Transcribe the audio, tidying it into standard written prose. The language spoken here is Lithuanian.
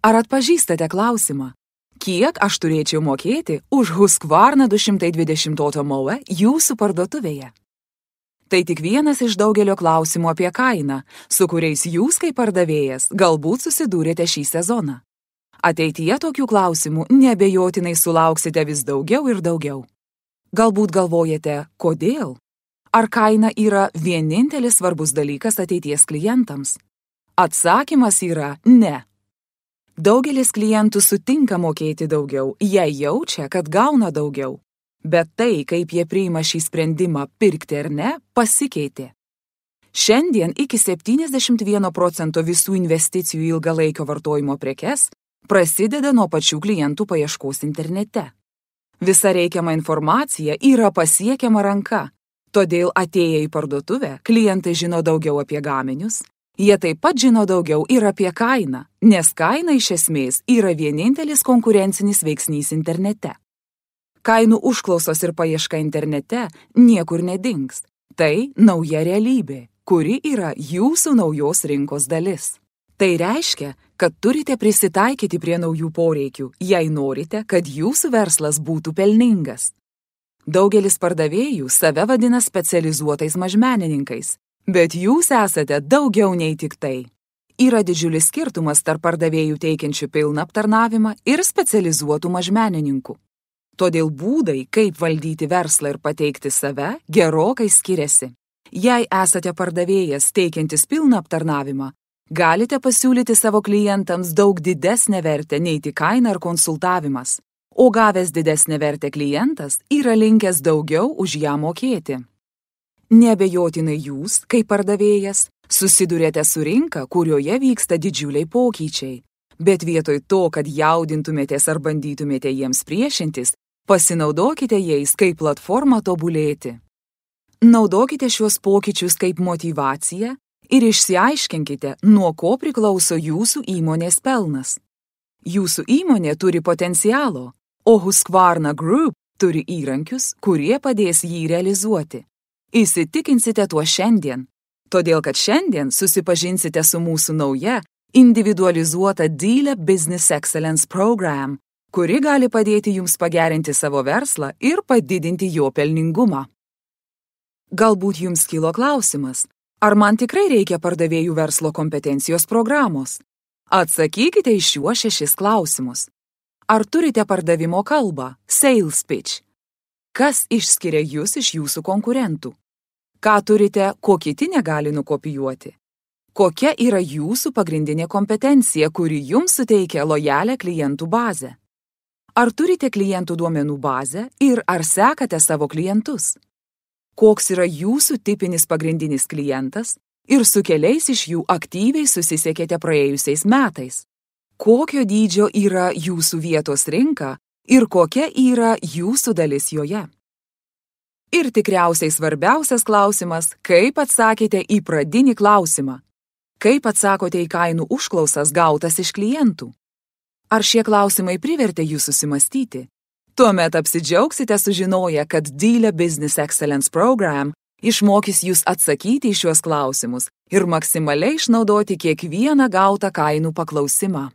Ar atpažįstate klausimą? Kiek aš turėčiau mokėti už Husqvarna 220 automobilį jūsų parduotuvėje? Tai tik vienas iš daugelio klausimų apie kainą, su kuriais jūs kaip pardavėjas galbūt susidūrėte šį sezoną. Ateityje tokių klausimų neabejotinai sulauksite vis daugiau ir daugiau. Galbūt galvojate, kodėl? Ar kaina yra vienintelis svarbus dalykas ateities klientams? Atsakymas yra ne. Daugelis klientų sutinka mokėti daugiau, jei jaučia, kad gauna daugiau. Bet tai, kaip jie priima šį sprendimą pirkti ar ne, pasikeitė. Šiandien iki 71% visų investicijų į ilgalaikio vartojimo prekes prasideda nuo pačių klientų paieškos internete. Visa reikiama informacija yra pasiekiama ranka, todėl atėję į parduotuvę klientai žino daugiau apie gaminius. Jie taip pat žino daugiau ir apie kainą, nes kaina iš esmės yra vienintelis konkurencinis veiksnys internete. Kainų užklausos ir paieška internete niekur nedings. Tai nauja realybė, kuri yra jūsų naujos rinkos dalis. Tai reiškia, kad turite prisitaikyti prie naujų poreikių, jei norite, kad jūsų verslas būtų pelningas. Daugelis pardavėjų save vadina specializuotais mažmenininkais, bet jūs esate daugiau nei tik tai. Yra didžiulis skirtumas tarp pardavėjų teikiančių pilną aptarnavimą ir specializuotų mažmenininkų. Todėl būdai, kaip valdyti verslą ir pateikti save, gerokai skiriasi. Jei esate pardavėjas teikiantis pilną aptarnavimą, galite pasiūlyti savo klientams daug didesnę vertę nei tik kaina ar konsultavimas, o gavęs didesnę vertę klientas yra linkęs daugiau už ją mokėti. Neabejotinai jūs, kaip pardavėjas, susidurėte su rinka, kurioje vyksta didžiuliai pokyčiai, bet vietoj to, kad jaudintumėtės ar bandytumėte jiems priešintis, pasinaudokite jais kaip platformą tobulėti. Naudokite šiuos pokyčius kaip motyvaciją ir išsiaiškinkite, nuo ko priklauso jūsų įmonės pelnas. Jūsų įmonė turi potencialo, o Husqvarna Group turi įrankius, kurie padės jį realizuoti. Įsitikinsite tuo šiandien, todėl kad šiandien susipažinsite su mūsų nauja individualizuota Dealer Business Excellence Program, kuri gali padėti jums pagerinti savo verslą ir padidinti jo pelningumą. Galbūt jums kilo klausimas, ar man tikrai reikia pardavėjų verslo kompetencijos programos? Atsakykite į šiuos 6 klausimus. Ar turite pardavimo kalbą, sales pitch? Kas išskiria jūs iš jūsų konkurentų? Ką turite, ko kiti negali nukopijuoti? Kokia yra jūsų pagrindinė kompetencija, kuri jums suteikia lojalią klientų bazę? Ar turite klientų duomenų bazę ir ar sekate savo klientus? Koks yra jūsų tipinis pagrindinis klientas ir su keliais iš jų aktyviai susisiekėte praėjusiais metais? Kokio dydžio yra jūsų vietos rinka ir kokia yra jūsų dalis joje? Ir tikriausiai svarbiausias klausimas, kaip atsakėte į pradinį klausimą? Kaip atsakote į kainų užklausas gautas iš klientų? Ar šie klausimai privertė jūs susimastyti? Tuomet apsidžiaugsite sužinoję, kad Dealer Business Excellence Program išmokys jūs atsakyti į šiuos klausimus ir maksimaliai išnaudoti kiekvieną gautą kainų paklausimą.